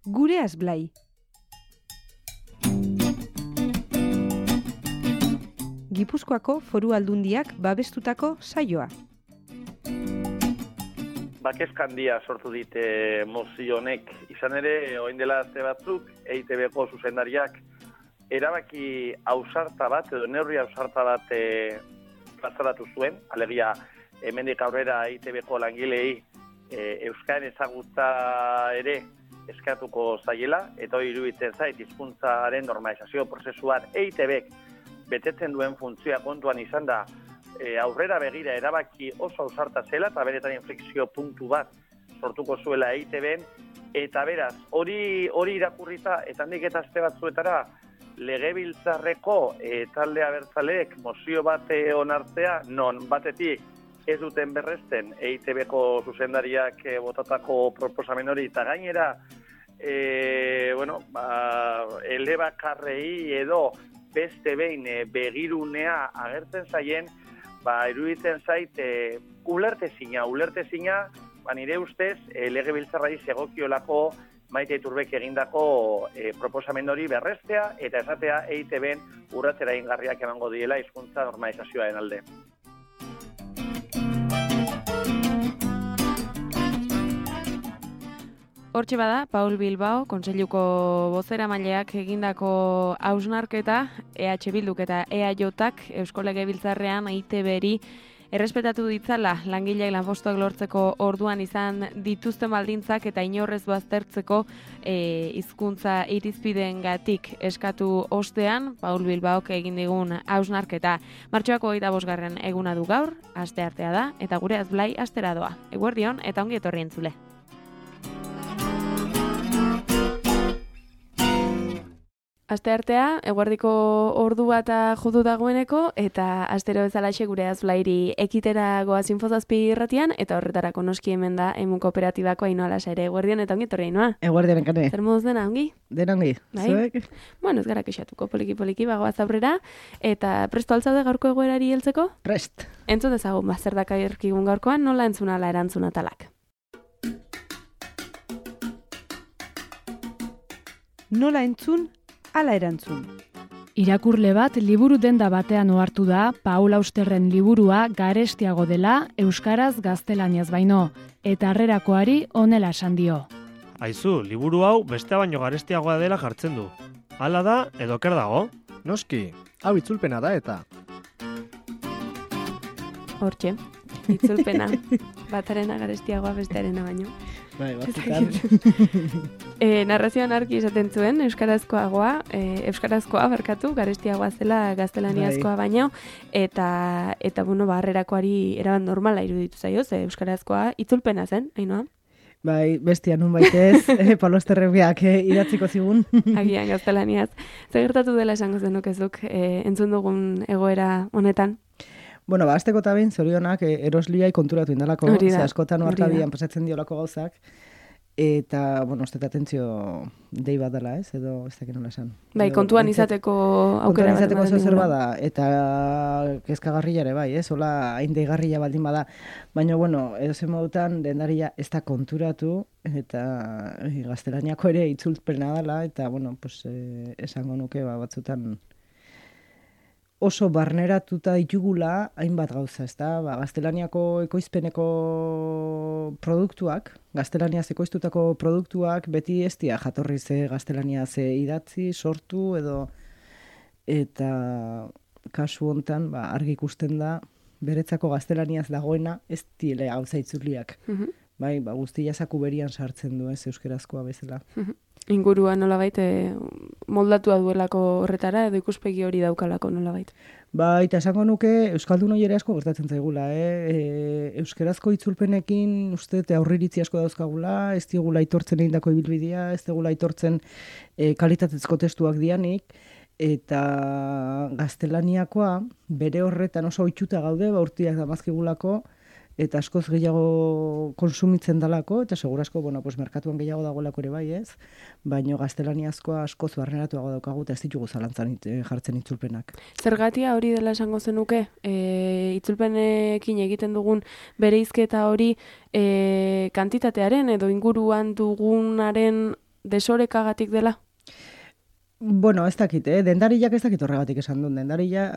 Gureaz Blai. Gipuzkoako Foru Aldundiak babestutako saioa. Bakezkandia sortu dite mozio honek. Izan ere, orain dela aste batzuk, EITB-ko zuzendariak erabaki ausarta bat, edo neurri ausarta bat plazaratu zuen. Alegia, hemendik aurrera EITB-ko langilei euskaren ezagutza ere eskatuko zaiela, eta hori iruditzen zait hizkuntzaren normalizazio prozesuan EITB-k betetzen duen funtzioa kontuan izan da, aurrera begira erabaki oso ausarta zela, eta beretan inflexio puntu bat sortuko zuela EITB-en, eta beraz, hori irakurrita, eta handik eta aste batzuetara, legebiltzarreko talde abertzaleek mozio bat onartzea, non batetik ez duten berresten EITB-ko zuzendariak botatako proposamen hori, eta gainera, elebakarrei edo beste behin begirunea agertzen zaien, iruditzen zait ulertezina, nire ustez legebiltzarrari zegokiolako Maite Iturbek egindako proposamen hori berrestea eta esatea EITB-en urratzera ingarriak emango diela hizkuntza normalizazioaren alde. Hortxe bada, Paul Bilbao, Kontseiluko bozeramaileak egindako hausnarketa, EH Bilduk eta EAJak Eusko Legebiltzarrean EITB-ri errespetatu ditzala langileak lanpostuak lortzeko orduan izan dituzten baldintzak eta inorrez baztertzeko hizkuntza irizpideengatik eskatu ostean, Paul Bilbaok egin digun hausnarketa. Martxoak 25. eguna du gaur, asteartea da, eta Gureaz Blai astera doa. Eguerdion eta ongi etorri entzule. Asteartea, eguerdiko ordu bata jodu dagoeneko, eta astero bezalaxe Gureaz Blairi ekitera goaz Infozazpi irratian, eta horretarako noski hemen da emu kooperatibako Ainhoa Lasa ere. Eguerdion eta ongi etorri Ainhoa. Eguerdion enkane. Zer moduz dena, ongi? Dena ongi. Zuek? Bueno, ez gara kexatuko poliki bagoaz aurrera, eta presto altzaude gaurko egoerari heltzeko? Prest. Entzun dezagun, zer dakarkigun gaurkoan, nola entzunala erantzuna talak. Nola entzun? Ala erantzun. Irakurle bat liburu denda batean ohartu da Paul Austerren liburua garestiago dela euskaraz gaztelaniaz baino, eta harrerakoari honela esan dio. Aizu, liburu hau beste baino garestiagoa dela jartzen du. Hala da edo ker dago? Noski, hau itzulpena da eta. Hortxe, itzulpena. Batarena garestiagoa bestearena baino. Bai, batzutan. Narrazioan argi esaten zuen, euskarazkoa garestiagoa zela gaztelaniazkoa baino, eta harrerakoari erabat normala iruditu zaio, euskarazkoa itzulpena zen, Ainhoa? Bai, bestia nun baitez, Paulo Austerreak idatziko zigun. Agian gaztelaniaz. Zer gertatu dela esango zenukezuk entzun dugun egoera honetan? Bueno, azteko eta behin, zorionak, erosliai konturatu indalako, ze askotan oarkabian pasatzen diolako gauzak, eta, uste atentzio dei bat dela, edo ez dakit nola esan. Bai, kontuan izateko aukera bat. Kontuan izateko zer bada, eta kezkagarria ere bai, hola hain deigarria baldin bada. Baina, edozen modutan, dendaria ez da konturatu, eta gaztelaniako ere itzulpena dela, eta, esango nuke batzutan, oso barneratuta ditugula hainbat gauza, ezta? Gaztelaniako ekoizpeneko produktuak, gaztelaniaz ekoiztutako produktuak beti ez dira jatorriz gaztelaniaz idatzi, sortu eta kasu hontan argi ikusten da beretzako gaztelaniaz dagoena ez dile gauza itzuliak. Bai, guztia zaku berian sartzen du euskerazkoa bezala. Ingurua nolabait moldatua duelako horretara edo ikuspegi hori daukalako nolabait. Bai, eta esango nuke euskaldun hori ere asko gertatzen zaigula, euskerazko itzulpenekin uste aurriritzi asko dauzkagula, ez digula aitortzen egindako ibilbidea, ez digula aitortzen kalitatezko testuak dianik, eta gaztelaniakoa bere horretan oso ohituta gaude, urteak damazkigulako, eta askoz gehiago konsumitzen dalako, eta segurazko, merkatuan gehiago dagoelako ere bai ez, baino gaztelaniazkoa askoz barneratuago daukagu, eta ez ditugu zalantzan jartzen itzulpenak. Zergatia hori dela esango zenuke, itzulpenekin egiten dugun bereizketa hori kantitatearen edo inguruan dugunaren desorekagatik dela? Bueno, ez dakit, dendariak ez dakit horregatik esan duen. Dendaria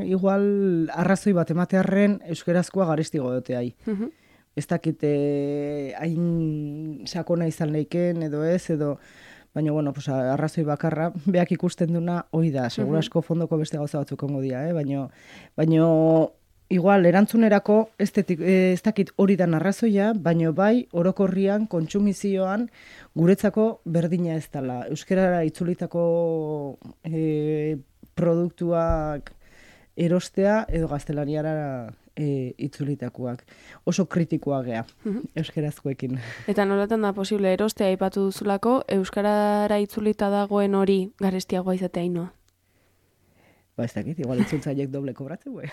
igual arrazoi bat ematearren euskerazkoa garestigo doteai. Ez dakit hain sakona izan leiken edo ez, edo baina, bueno, pues, arrazoi bakarra, beak ikusten duna, hoi da, segurasko fondoko beste gauza batzuk ongo dira, baina igual, erantzunerako ez dakit hori da arrazoia, baina bai, orokorrian, kontsumizioan, guretzako berdina ez dela. Euskerara itzulitako produktuak erostea edo gaztelaniara itzulitakoak. Oso kritikoa gea, euskerazkoekin. Eta nolatan da posible erostea aipatu duzulako, euskarara itzulita dagoen hori garestiagoa izatea inoa? Ba, ez dakit, igual itzultzaileek doble kobratzen gue.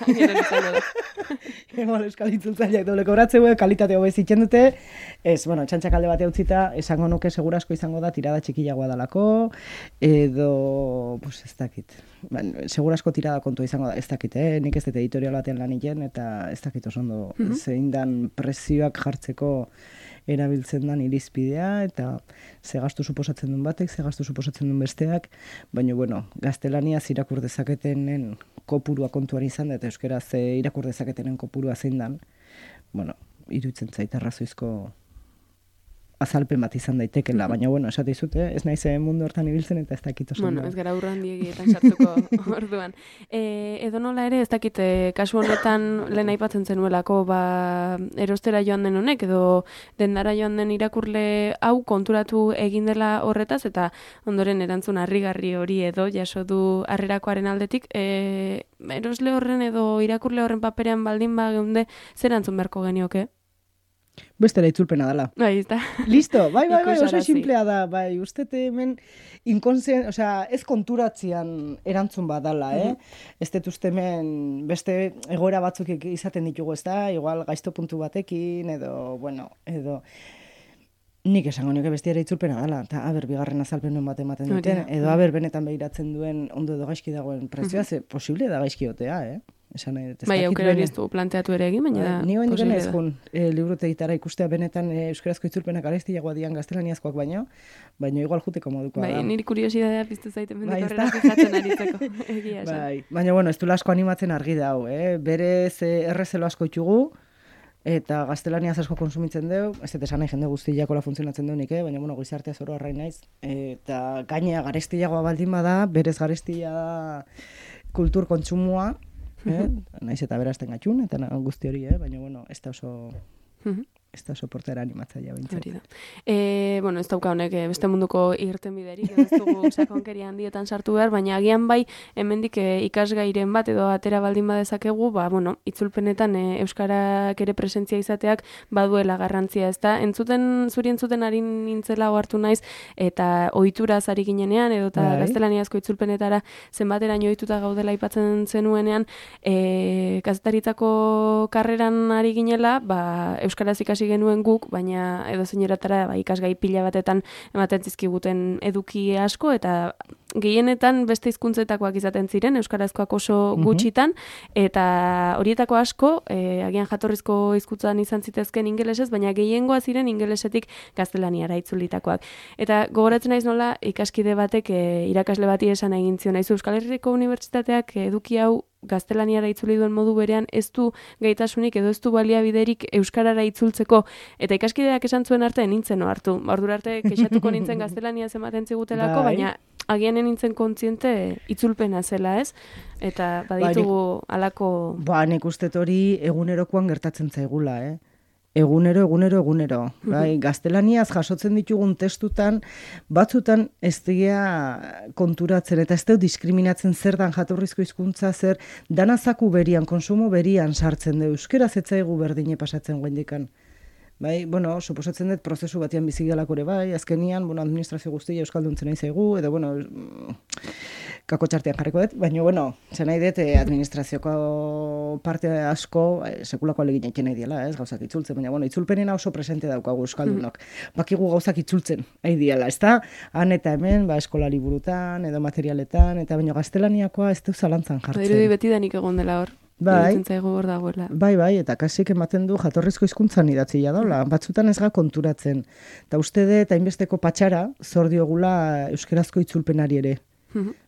Igual euskal itzultzaileek doble kobratzen gue, kalitate hobez itzen dute. Ez, bueno, txantxak alde batea utzita, esango nuke segurasko izango da tirada txikiagoa dalako, edo, pues ez dakit. Segurasko tirada kontua izango da, ez dakit, nik ez dut editorial batean lan egin, eta ez dakit oso ondo zein dan prezioak jartzeko erabiltzen dan irizpidea, eta ze gastu suposatzen duen batek, ze gastu suposatzen duen besteak, baina, bueno, gaztelaniaz irakur dezaketenen kopurua kontuan izan da, eta euskeraz irakur dezaketenen kopurua zein dan, bueno, iruditzen zait arrazoizko azalpen bat izan daitekela, baina, bueno, esate izute, ez naiz mundu hortan ibiltzen eta ez dakit oso. Bueno, ez gara urrandietan sartuko orduan. Edo nola ere, ez dakit, kasu honetan lehen aipatzen zenuelako, erostera joan den honek, edo dendara joan den irakurle hau konturatu egin dela horretaz, eta ondoren erantzun harrigarri hori edo jaso du harrerakoaren aldetik, erosle horren edo irakurle horren paperean baldin geunde, zer erantzun beharko genioke? Bestera itzulpena dela. Bai, ez da. Listo, bai, oso simplea da, bai, uste hemen ez konturatzean erantzun badala, Ez dut uste hemen beste egoera batzuk izaten ditugu, ez da, igual gaizto puntu batekin, edo, nik esango nioke bestiara itzulpena dela, eta bigarren azalpen bat ematen duten, edo benetan behiratzen duen ondo edo gaizki dagoen prezioa, ze posible da gaizki otea, Bai, aukera hori ez du planteatu ere egin, baina da. Ni hoen dikena ezkun librutegitara ikustea benetan euskarazko itzulpenak garestiagoa dian gaztelaniazkoak baino igual juteko modukoa da. Bai, niri kuriosidadea piztu zaiten mendik horrela fijatzen aritzeko. Egia esan. Bai, baina bueno, ez du asko animatzen argi da hau, berez errezelo asko itxugu, eta gaztelaniaz asko konsumitzen deu, ez dut esan nahi jende guztiakola funtzionatzen deunik, baina bueno, gizartea zoro arrain naiz, eta gainea garestiagoa baldin bada, berez garestia da kultur kontsumua, naiz eta berazten gatxun, eta guzti hori, baina, bueno, ez da oso portera animatzaia bintzen. Hori da. Bueno, ez dauka honek beste munduko irten biderik, ez dugu sakonkeria handietan sartu behar, baina agian bai, hemendik ikasgairen bat edo atera baldin badezakegu, bueno, itzulpenetan euskarak ere presentzia izateak baduela garrantzia, ez da? Zuri entzuten ari nintzela ohartu naiz, eta ohituraz ari ginenean, edo eta gaztelaniazko itzulpenetara zenbateraino ohituta gaudela aipatzen zenuenean, kazetaritzako karreran ari ginela, euskaraz ikasi genuen guk, baina edo zeineratara ikasgai pila batetan ematen zizkiguten eduki asko, eta gehienetan beste hizkuntzetakoak izaten ziren, euskarazkoak oso gutxitan, eta horietako asko, agian jatorrizko hizkuntzan izan zitezken ingelesez, baina gehiengoa ziren ingelesetik gaztelaniara itzulitakoak. Eta gogoratzen naiz nola, ikaskide batek irakasle bati esan egin zion, naizu Euskal Herriko Unibertsitateak eduki hau gaztelaniara itzuli duen modu berean ez du gaitasunik edo ez du baliabiderik euskarara itzultzeko, eta ikaskideak esan zuen arte nintzen hartu. Ordura arte kexatuko nintzen gaztelania ematen zigutelako, baina agian nintzen kontziente itzulpena zela, ez? Eta baditugu alako... Nik uste hori egunerokoan gertatzen zaigula, Egunero. Bai, gaztelaniaz jasotzen ditugun testutan, batzutan ez dira konturatzen, eta ez dut diskriminatzen zer dan jatorrizko hizkuntza, zer danazaku berian, konsumo berian sartzen du. Euskeraz ez zaigu berdine pasatzen guendikan. Bai, bueno, suposatzen dut prozesu batean bizigalakore bai, azkenian, administrazio guztia euskalduntzen nahi zaigu, edo, kako txartean jarriko dut, baina, zen nahi dut administrazioko parte asko sekulako alegin egin nahi diela, gauzak itzultzen, baina, itzulpenena oso presente daukagu euskaldunok. Bakigu gauzak itzultzen nahi diela, ez da? Han eta hemen, eskola liburutan, edo materialetan, eta baina gaztelaniakoa ez du zalantzan jartzen. Badirudi beti danik egon dela hor. iruditzen zaigu hor dagoela. Bai, eta kasik ematen du jatorrizko hizkuntzan idatzia daula, batzutan ez ga konturatzen. Eta uste dut, hainbesteko patxara, zor diogula euskerazko itzulpenari ere.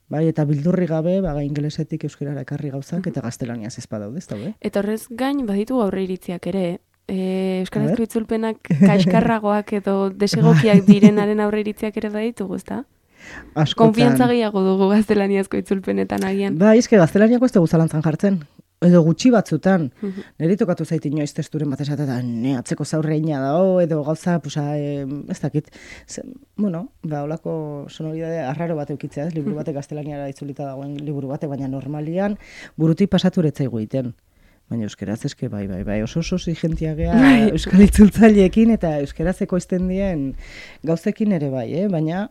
Bai, eta bildurri gabe, ingelesetik euskerara ekarri gauzak, eta gaztelaniaz ez badaude, ez daude. Eta horrez gain, baditu aurre iritziak ere, euskarazko itzulpenak kaskarragoak edo desegokiak direnaren aurre iritziak ere baditugu, ezta? Konfiantza gehiago dugu gaztelaniazko itzulpenetan agian. Bai, eske gaztelaniako ez dugu zalantzan jartzen. Edo gutxi batzutan. Neri tokatu zait inoiz testuren bat esatea, atzeko zaurreina da, edo gauza, ez dakit. Holako sonoridade arraro bat eukitzea, ez? Liburu batek gaztelaniara itzulita dagoen liburu batek, baina normalian burutik pasaturetzaigu egiten. Baina euskeraz eske bai, oso exigentia gea euskal itzultzaileekin eta euskarazeko izten dien gauzekin ere bai, baina,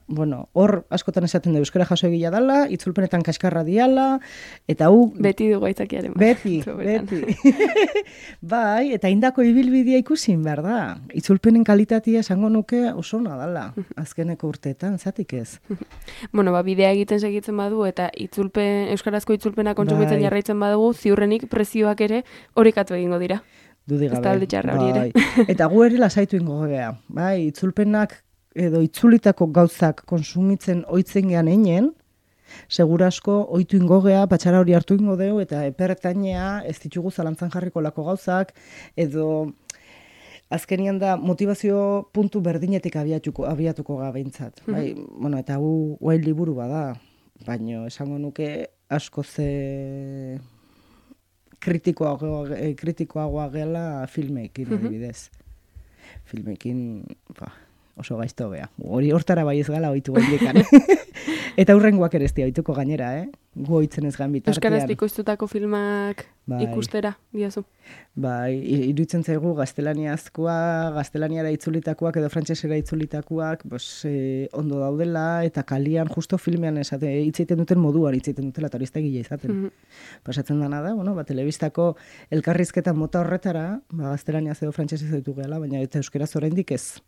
hor askotan esaten da euskara jaso egila dala, itzulpenetan kaskarra diala, eta beti dugu aitzakiaren. Beti. Bai, eta indako ibilbidea ikusin, behar da. Itzulpenen kalitatea esango nuke oso ona dala, azkeneko urteetan, zatik ez. Bidea egiten segitzen badu, eta euskarazko itzulpena kontsumitzen jarraitzen badugu, ziurrenik prezioak ere horikatu egingo dira. Dudigabe. Ez talde txarra hori ere. Eta gu ere lasaitu ingo gea. Bai, itzulpenak edo itzulitako gauzak konsumitzen oitzen gean einen, segurasko oitu ingo gea, patxara hori hartu ingo deu, eta epertainea ez ditugu zalantzan jarriko lako gauzak, edo azkenian da motivazio puntu berdinetik abiatuko gabeintzat. Bai, eta guain liburu bada, baino esango nuke asko ze kritikoagoa gela filmekin, adibidez. Filmekin, oso gaizto gea. Hori hortara bai ez gala oitu gaindekan. Eta hurrengoak ere ez dia oituko gainera, gu oitzen ez gan bitartean. Euskaraz bikoiztutako filmak ikustera, diazu? Bai, iruditzen zaigu gaztelaniara itzulitakoak edo frantsesera itzulitakoak ondo daudela, eta kalian justo filmean hitzeiten duten moduan hitzeiten dutela, eta hori ez da gila izaten. Pasatzen dana da, telebistako elkarrizketa mota horretara, gaztelaniaz edo frantsesez ditu gehala, baina eta euskeraz oraindik ez.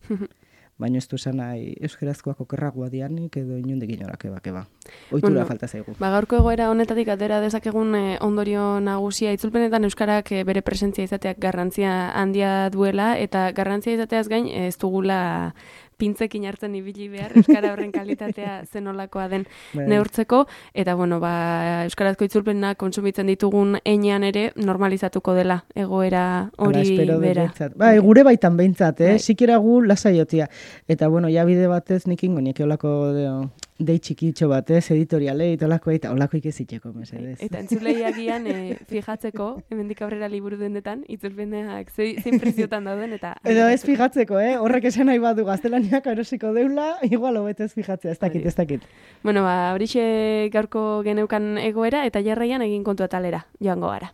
Baina ez du esan nahi euskerazkoak okerragoa dianik edo inundik inorak eba. Oitura falta zaigu. Gaurko egoera honetatik atera dezakegun ondorio nagusia itzulpenetan euskarak bere presentzia izateak garrantzia handia duela, eta garrantzia izateaz gain ez dugula pintzekin hartzen ibili behar, euskara horren kalitatea zenolakoa den neurtzeko, eta euskarazko itzulpena kontsumitzen ditugun heinean ere normalizatuko dela egoera hori bera. Bai, gure baitan behintzat, sikera gu lasaiotia. Eta ja bide batez nik ingo nieke olako dei txikitxo batez, editorialei, eta olakoik ez itxeko, mesedez. Eta entzuleiagian fijatzeko, hemendik aurrera liburu dendetan, itzulpeneak zein preziotan dauden, eta... Edo ez fijatzeko, horrek esan nahi badu gaztelaniak erosiko deula, igual hobetez fijatzea, ez dakit. Horixe gaurko geneukan egoera, eta jarraian egin kontu atalera, joango gara.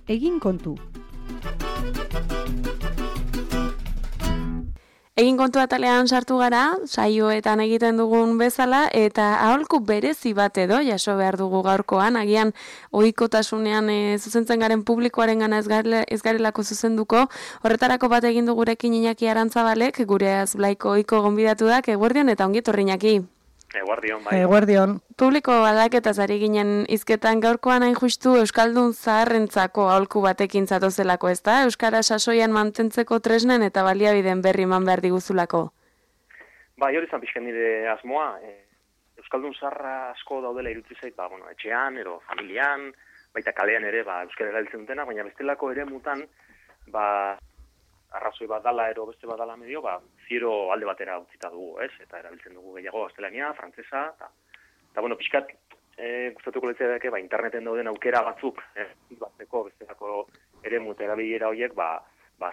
Egin kontu. Egin kontu atalean sartu gara, saioetan egiten dugun bezala, eta aholku berezi bat edo, jaso behar dugu gaurkoan, agian ohikotasunean zuzentzen garen publikoaren gana ez garelako zuzenduko, horretarako bat egin dugurekin Iñaki Arantzabalek, gure azblaiko ohiko gonbidatu dak, eguerdion eta ongi etorri Iñaki. Eguerdion, bai. Eguerdion. Publiko badaketaz ari ginen hizketan gaurkoan hain justu Euskaldun zaharrentzako aholku batekin zatozelako, ezta? Euskara sasoian mantentzeko tresnen eta baliabideen berri eman behar diguzulako. Bai, hori zan pixken nire asmoa. Euskaldun zaharra asko daudela iruditzen zait, etxean, edo familian, baita kalean ere, euskara erabiltzen dutena, baina bestelako ere mutan, arrazoi bat dala, ero beste bat dala medio, ziero alde batera utzita dugu, ez? Eta erabiltzen dugu gehiago gaztelania, frantzesa, eta pixkat, gustatuko letzea dake, interneten dauden aukera batzuk, batzeko, bestelako ere muta erabilera horiek,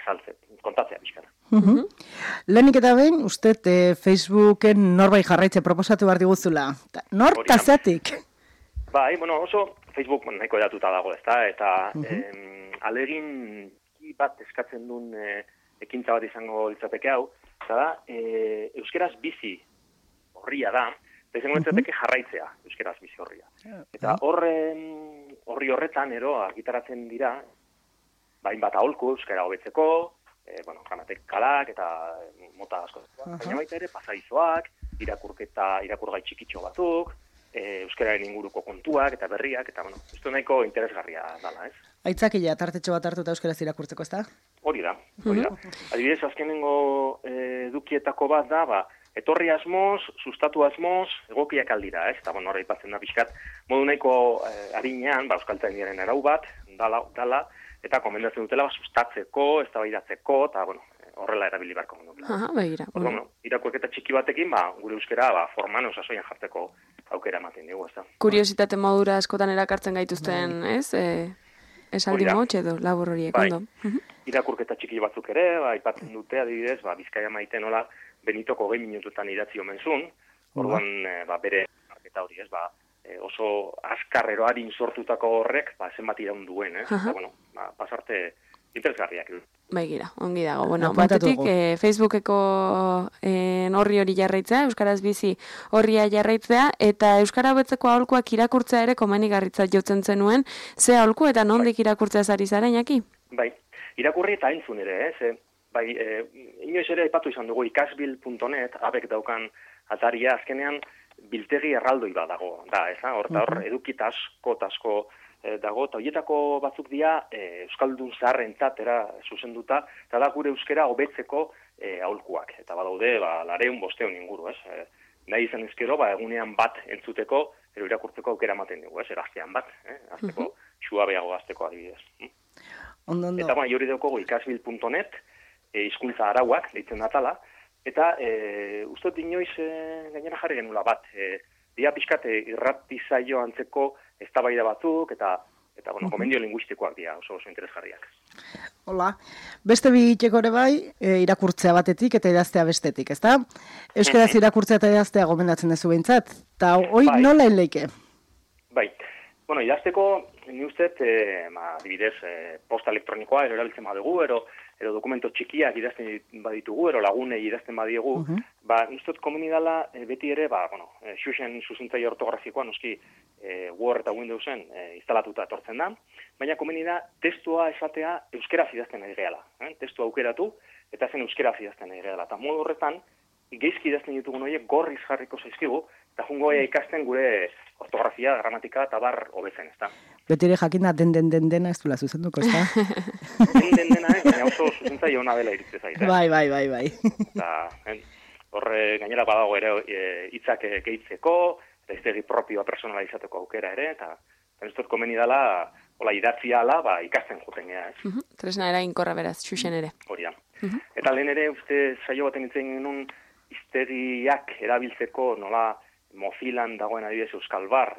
saltzen, kontatzea pixkana. Lehenik eta behin, uste Facebooken norbait jarraitze proposatu behar diguzula. Nor tazatik? Bai, oso Facebook nahiko edatuta dago, ezta? Eta alegin bat eskatzen duen ekintza bat izango litzateke hau, eta da, euskeraz bizi horria da, eta izango litzateke jarraitzea euskeraz bizi horria. Eta horri horretan, argitaratzen dira, hainbat aholku euskara hobetzeko, gramatek kalak eta mota asko. Baina baita ere, pasaizoak, irakurgai txikitxo batzuk, euskararen inguruko kontuak eta berriak, eta, bueno, ez nahiko interesgarria dala, ez? Aitzakila, tartetxo bat hartuta euskaraz irakurtzeko, ez da? Hori da. Adibidez, azkenengo edukietako bat da, etorri asmoz, sustatu asmoz, egokiak aldira, ez? Eta, bueno, horra ipatzen da pixkat, modu nahiko harinean, euskaltzaindiaren arau bat, dala, eta komendatzen dutela, sustatzeko, eztabaidatzeko, eta, bueno, horrela erabili barko dutela. Aha, begira. Bueno, irakurketa txiki batekin, gure euskera, forman osasoian jartzeko aukera ematen dugu, ez da. Kuriositate modura askotan erakartzen gaituzten, ez? Esaldi motx edo labor horiek, ondo. Irakurketa txiki batzuk ere, aipatzen dute, adibidez, Bizkaia maite nola Benitoko 20 minututan idatzi omen zuen, orduan bere marketa hori, ez, oso askarrero harin sortutako horrek, zenbat iraun duen, ez? Eta, bueno, pasarte interesgarriak. Begira, ongi dago. Bueno, batetik, Facebookeko horri hori jarraitzea, Euskaraz bizi horria jarraitzea, eta Euskara hobetzeko aholkuak irakurtzea ere komenigarritzat jotzen zenuen, ze aholku eta nondik irakurtzea zari zaren, Jaki? Bai, irakurri eta entzun ere, ez? Bai, inoiz ere aipatu izan dugu ikasbil.net, abek daukan ataria, azkenean biltegi erraldoi bat dago, da, ez? Hor edukita asko dago, eta horietako batzuk dira Euskaldun zaharrentzat zuzenduta, eta da gure euskera hobetzeko aholkuak. Eta badaude, 200 inguru, ez? Nahi izan ezkero, egunean bat entzuteko, irakurtzeko aukera ematen dugu, ez? Gaztean bat, azteko, suabeago gazteko adibidez. Eta hori daukogu ikasbil.net, hizkuntza arauak, deitzen datala, eta uste inoiz gainera jarri genula bat, dia pixkat irrati zaio antzeko eztabaida batzuk, eta bueno, komendio linguistikoak dira, oso interesgarriak. Hola, beste bi itxeko ere bai, irakurtzea batetik eta idaztea bestetik, ezta? Euskaraz irakurtzea eta idaztea gomendatzen duzu behintzat, eta hoi nola enleike? Bai, bueno, idazteko, ni uste, adibidez, posta elektronikoa erabiltzen badugu, edo dokumento txikiak idazten baditugu, ero lagunei idazten badiegu, ni uste komeni dela beti ere, xuxen zuzentzaile ortografikoa, noski Word eta Windowsen instalatuta etortzen da, baina komeni da testua esatea euskeraz idazten nahi gehala. Testua aukeratu, eta zen euskeraz idazten nahi gehala. Eta modu horretan, geizki idazten ditugun horiek gorriz jarriko zaizkigu, eta jungo ikasten gure ortografia, gramatika eta bar hobetzen, ez da. Betire jakinda dena ez dula zuzenduko, ez da? Dena, baina oso zuzentzaile ona dela iritze zait. Bai. Horre gainera badago ere hitzak gehitzeko, eta iztegi propioa personala izateko aukera ere, eta ez dut komeni dela, idatzia ala, ikasten juten gea, ez? Tresna eraginkorra beraz, xuxen ere. Hori da. Eta lehen ere, uste saio baten itzen genuen, iztegiak erabiltzeko nola Mozilan dagoen adibidez Euskal Bar,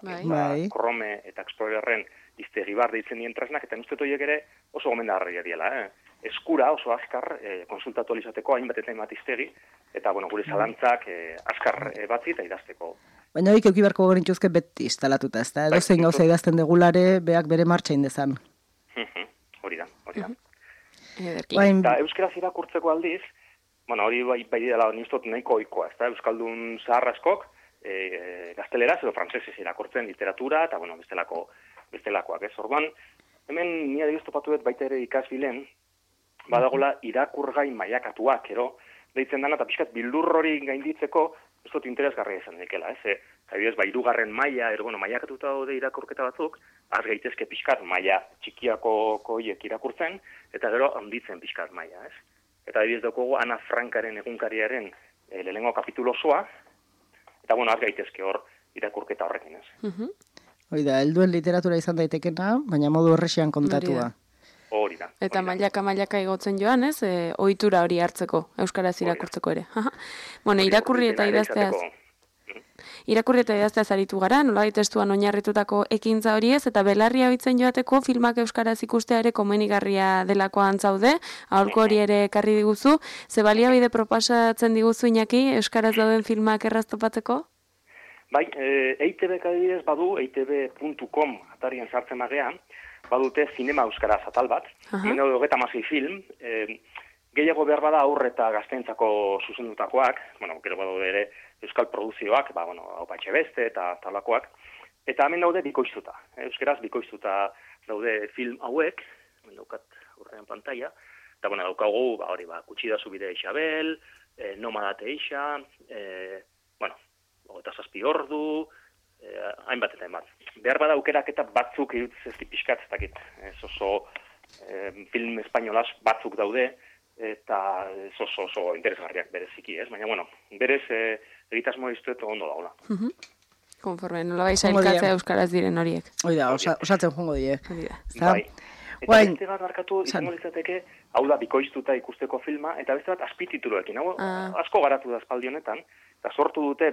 Chrome eta Explorerren iztegi bar deitzen dien tresnak, eta uste horiek ere oso gomendagarria diela. Eskura oso azkar konsultatu alizateko hainbat eta hainbat iztegi, eta gure zalantzak azkar batzi eta idazteko. Baina horiek eukibarko genituzke beti instalatuta, ez da? Edo zein gauza idazten degulare, beak bere martxain dezan. Hori da. Eta euskeraz irakurtzeko aldiz, hori bai dela nistot nahiko ohikoa, ez da? Euskaldun zahar askok, gazteleraz edo frantsesez irakurtzen literatura, eta bestelakoak, ez? Orduan, hemen ni adibidez topatu dut baita ere ikasbilen, badagola irakurgai mailakatuak, deitzen dana, eta pixkat bildur hori gainditzeko, ez dut interesgarria izan dekela, ez? Adibidez, hirugarren maila, mailakatuta daude irakurketa batzuk, az gaitezke pixkat maila txikiako horiek irakurtzen, eta gero handitzen pixkat maila, ez? Eta adibidez daukogu Ana Frankaren egunkariaren lehenengo kapitulo osoa, eta az gaitezke hor irakurketa horrekin, ez? Hoi da, helduen literatura izan daitekena, baina modu horrexean kontatua. Hori da. Eta mailaka igotzen joan, ez? Ohitura hori hartzeko, euskaraz irakurtzeko ere. Irakurri eta idazteaz aritu gara, nola testuan oinarritutako ekintza hori ez, eta belarria ohitzen joateko filmak euskaraz ikustea ere komenigarria delakoan zaude, aholku hori ere ekarri diguzu, ze baliabide proposatzen diguzu Iñaki, euskaraz dauden filmak erraztopatzeko? Bai, EITB-k adibidez badu, eitb.com atarian sartzen magean, badute zinema euskaraz atal bat, hemen daude 36 film, gehiago behar bada aurre eta gazteentzako zuzendutakoak, gero badaude ere euskal produzioak, Opatxe Beste eta talakoak, eta hemen daude bikoiztuta, euskaraz bikoiztuta daude film hauek, hemen daukat aurrean pantalla, eta daukagu, Kutsida Zubide Isabel, Nomadate Isa, 27 ordu, hainbat eta hainbat. Behar bada aukeraketa batzuk iruditz ez pixkat, ez dakit, ez oso film espainolaz batzuk daude, eta oso interesgarriak bereziki, ez? Baina, bueno, berez egitasmo iztuet ondo dagoela. Konforme, nola bai sailkatzea euskaraz diren horiek. Hoi da, osatzen jongo die. Bai. Eta beste bat markatu izango litzateke, hau da bikoiztuta ikusteko filma, eta beste bat azpitituluekin. Hau asko garatu da aspaldi honetan, eta sortu dute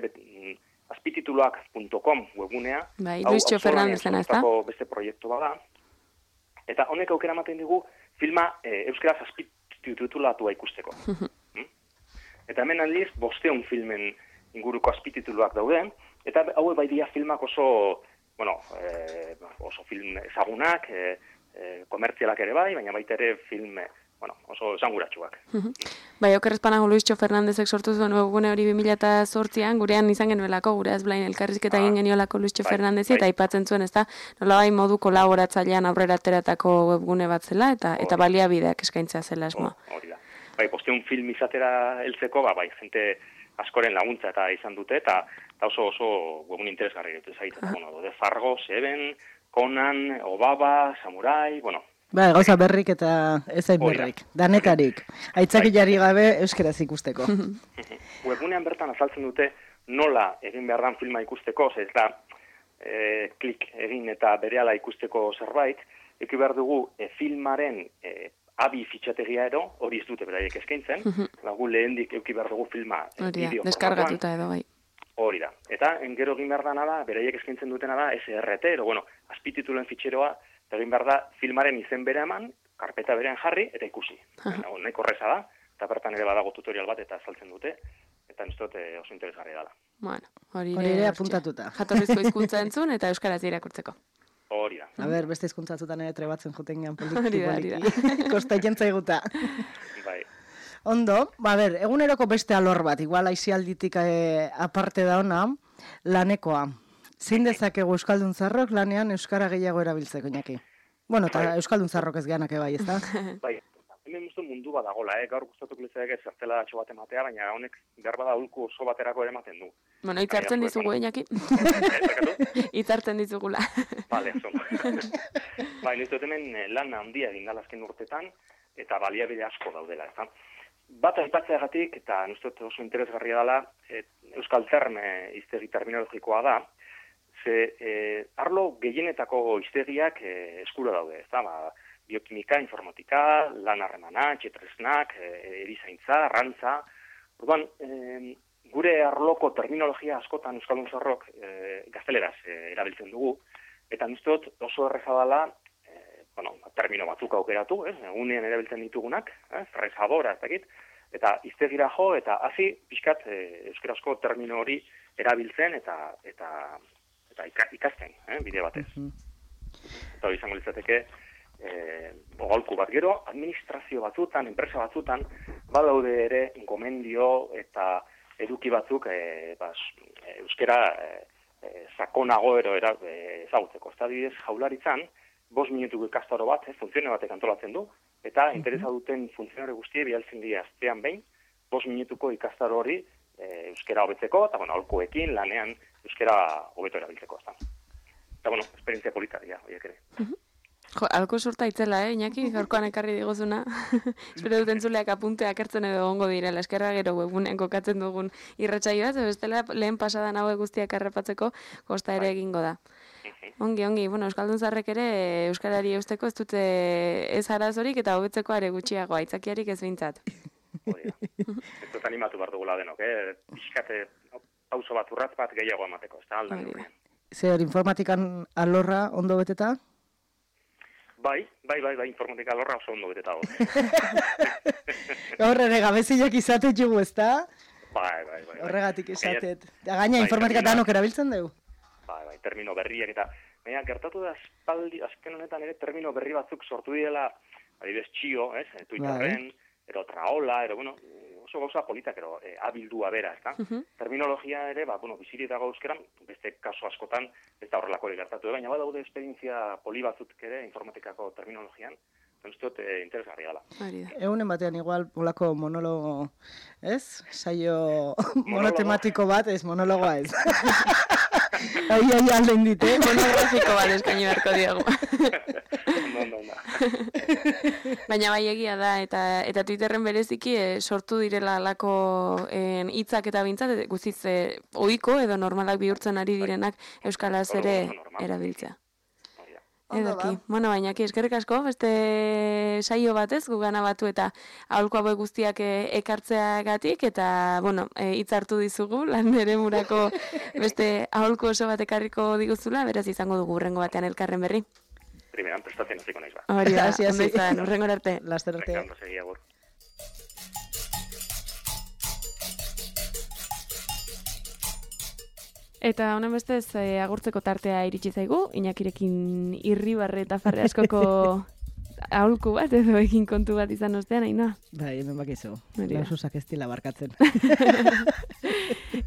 azpitituluak.com webgunea. Bai, Luisio Fernandezen, ez da? Beste proiektu bada. Eta honek aukera ematen digu filma euskaraz azpititulatua ikusteko. Eta hemen aldiz, 500 filmen inguruko azpitituluak daude, eta hau bai dira filmak oso film ezagunak, komertzialak ere bai, baina baita ere film oso esanguratsuak. Bai, okerrezpanago Luisio Fernandezek sortu zuen webgune hori 2008an, gurean izan genuelako, gure azblain elkarrizketa egin geniolako Luisio Fernandezi, eta aipatzen zuen, ez da, nolabai modu kolaboratzailean aurrera ateratako webgune bat zela, eta baliabideak eskaintzea zela esmoa. Hori da. Bai, 500 film izatera heltzeko, bai, jente askoren laguntza eta izan dute, eta oso webgune interesgarri dut ezagitzen. De Fargo, Seven, Conan, Obaba, Samurai, Ba, gauza berrik eta ezain berrik, danetarik. Aitzakilari gabe euskaraz ikusteko. Webgunean bertan azaltzen dute nola egin behar dan filma ikusteko, ez da klik egin eta berehala ikusteko zerbait, eki behar dugu filmaren abi fitxategia ero, hori ez dute beraiek eskaintzen, gu lehendik eki behar dugu filma bideo deskargatuta edo, bai. Hori da. Eta gero egin behar dana da, beraiek eskaintzen dutena da SRT, azpititulen fitxeroa, egin behar da filmaren izen bere eman, karpeta berean jarri, eta ikusi. Nahiko horreza da, eta bertan ere badago tutorial bat eta azaltzen dute, eta nistot oso interesgarri dala. Bueno, hori ere apuntatuta. Jatorrizko hizkuntza entzun eta euskaraz irakurtzeko. Hori da. A ber, beste hizkuntzatzutan ere trebatzen joten gehan poliki. Kosta jentzaiguta. Bai. Ondo, eguneroko beste alor bat, igual aizialditik aparte da ona, lanekoa. Zein dezakegu euskaldun zarrok lanean euskara gehiago erabiltzeko, Iñaki? Bueno, eta euskaldun zarrok ez geanak bai, ez da? Bai, hemen uste mundu bat dagoela, gaur gustatuko litzake zertela atxo bat ematea, baina honek behar bada ulku oso baterako ere ematen du. Bueno, hitzartzen dizugu, Iñaki? Hitzartzen dizugula. Vale, bai, nizut hemen lan handia egin dalazken urtetan, eta baliabide asko daudela, ez da? Bat aipatzeagatik, eta nizut oso interesgarria dela, euskal terme hiztegi terminologikoa da, arlo gehienetako hiztegiak eskura daude, ez da, biokimika, informatika, lan harremana, txetresnak, erizaintza, arrantza. Orduan, gure arloko terminologia askotan euskaldun zarrok gazteleraz erabiltzen dugu, eta niztot oso erreza dela, termino batzuk aukeratu, egunean erabiltzen ditugunak, frezadora, ez dakit, eta hiztegira jo, eta hazi pixkat euskarazko termino hori erabiltzen eta ikasten, bide batez. Eta hori izango litzateke, aholku bat gero, administrazio batzutan, enpresa batzutan, badaude ere gomendio eta eduki batzuk euskara sakonago ezagutzeko. Ez adibidez, Jaurlaritzan, 5 minutuko ikastaro bat, funtzionario batek antolatzen du, eta interesa duten funtzionario guztie bialtzen dira astean behin, 5 minutuko ikastaro hori euskara hobetzeko, eta aholkuekin lanean euskara hobeto erabiltzeko. Eta, esperientzia polita dira, horiek ere. Jo, alko surta itzela, Iñaki, gaurkoan ekarri digozuna. Espero dut entzuleak apunteak hartzen edo gongo direla, eskerra gero webunean kokatzen dugun irratsaioa, bestela lehen pasadan hauek guztiak errepatzeko kosta ere egingo da. Ongi, euskaldun zarrek ere euskarari eusteko ez dute ez arazorik eta hobetzeko are gutxiago, aitzakiarik ez behintzat. Ez dut animatu behar dugula denok, pixkate pauso bat, urratz bat gehiago emateko, ez da aldan dugu. Zer, informatikan alorra ondo beteta? Bai, informatika alorra oso ondo beteta go. Gaur ere gabeziak izatet jugu, ez da? Bai. Horregatik izatet. Gaina informatika danok erabiltzen dugu? Bai, termino berriak eta baina gertatu da azken honetan ere termino berri batzuk sortu direla, adibidez txio, Twitterren, ero traola, oso gauza politak, ero abildua bera, ez da? Terminologia ere, bizirik dago euskeran, beste kaso askotan, ez da horrelako gertatu, baina badaude esperientzia poli batzuk ere informatikako terminologian, Zentzut, interesgarria gala. Egunen batean igual polako monologo, ez? Saio monotematiko bat, ez monologoa ez. Ai, alden dite. Monografiko bat eskaini beharko diogu. No. Baina bai egia da, eta Twitterren bereziki sortu direla alako hitzak eta bintzat, guztiz ohiko edo normalak bihurtzen ari direnak euskalaz ere erabiltzea. Ederki. Bueno, baina eskerrik asko, beste saio batez, gugana batu eta aholku hauek guztiak ekartzeagatik, eta, bueno, hitz hartu dizugu, lan ere murako beste aholku oso bat ekarriko diguzula, beraz izango dugu hurrengo batean elkarren berri. Primeran prestatzen hasiko naiz ba. Hori da, ondo izan, hurrengora arte. Laster arte. Ondo segi agur. Eta honen bestez agurtzeko tartea iritsi zaigu, Iñakirekin irribarre eta farre askoko aholku bat edo egin kontu bat izan ostean, Ainhoa. Bai, hemen bakizu. Laususak ez dila barkatzen.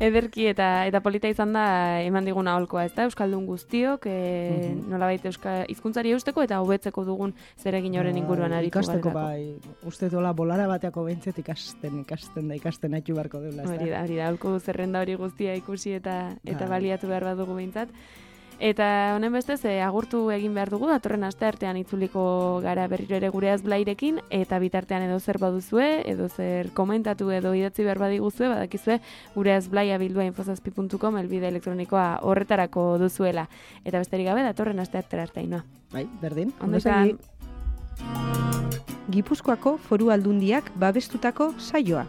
Ederki eta polita izan da eman digun aholkoa, ezta? Euskaldun guztiok, nolabait hizkuntzari eusteko eta hobetzeko dugun zeregin horren inguruan aritu ikasteko bai. Uste dola bolara bateako behintzet ikasten haitu beharko deula, ezta? Hori da, aholku zerrenda hori guztia ikusi eta baliatu behar badugu behintzat. Eta honen bestez, agurtu egin behar dugu, datorren asteartean itzuliko gara berriro ere gure azblairekin, eta bitartean edo zer baduzue, edo zer komentatu edo idatzi behar badiguzue, badakizue gure azblaia bildua infozazpi.com elbide elektronikoa horretarako duzuela. Eta besterik gabe, datorren asteartera arte, Ainhoa. Bai, berdin. Ondo izan. Gipuzkoako Foru Aldundiak babestutako saioa.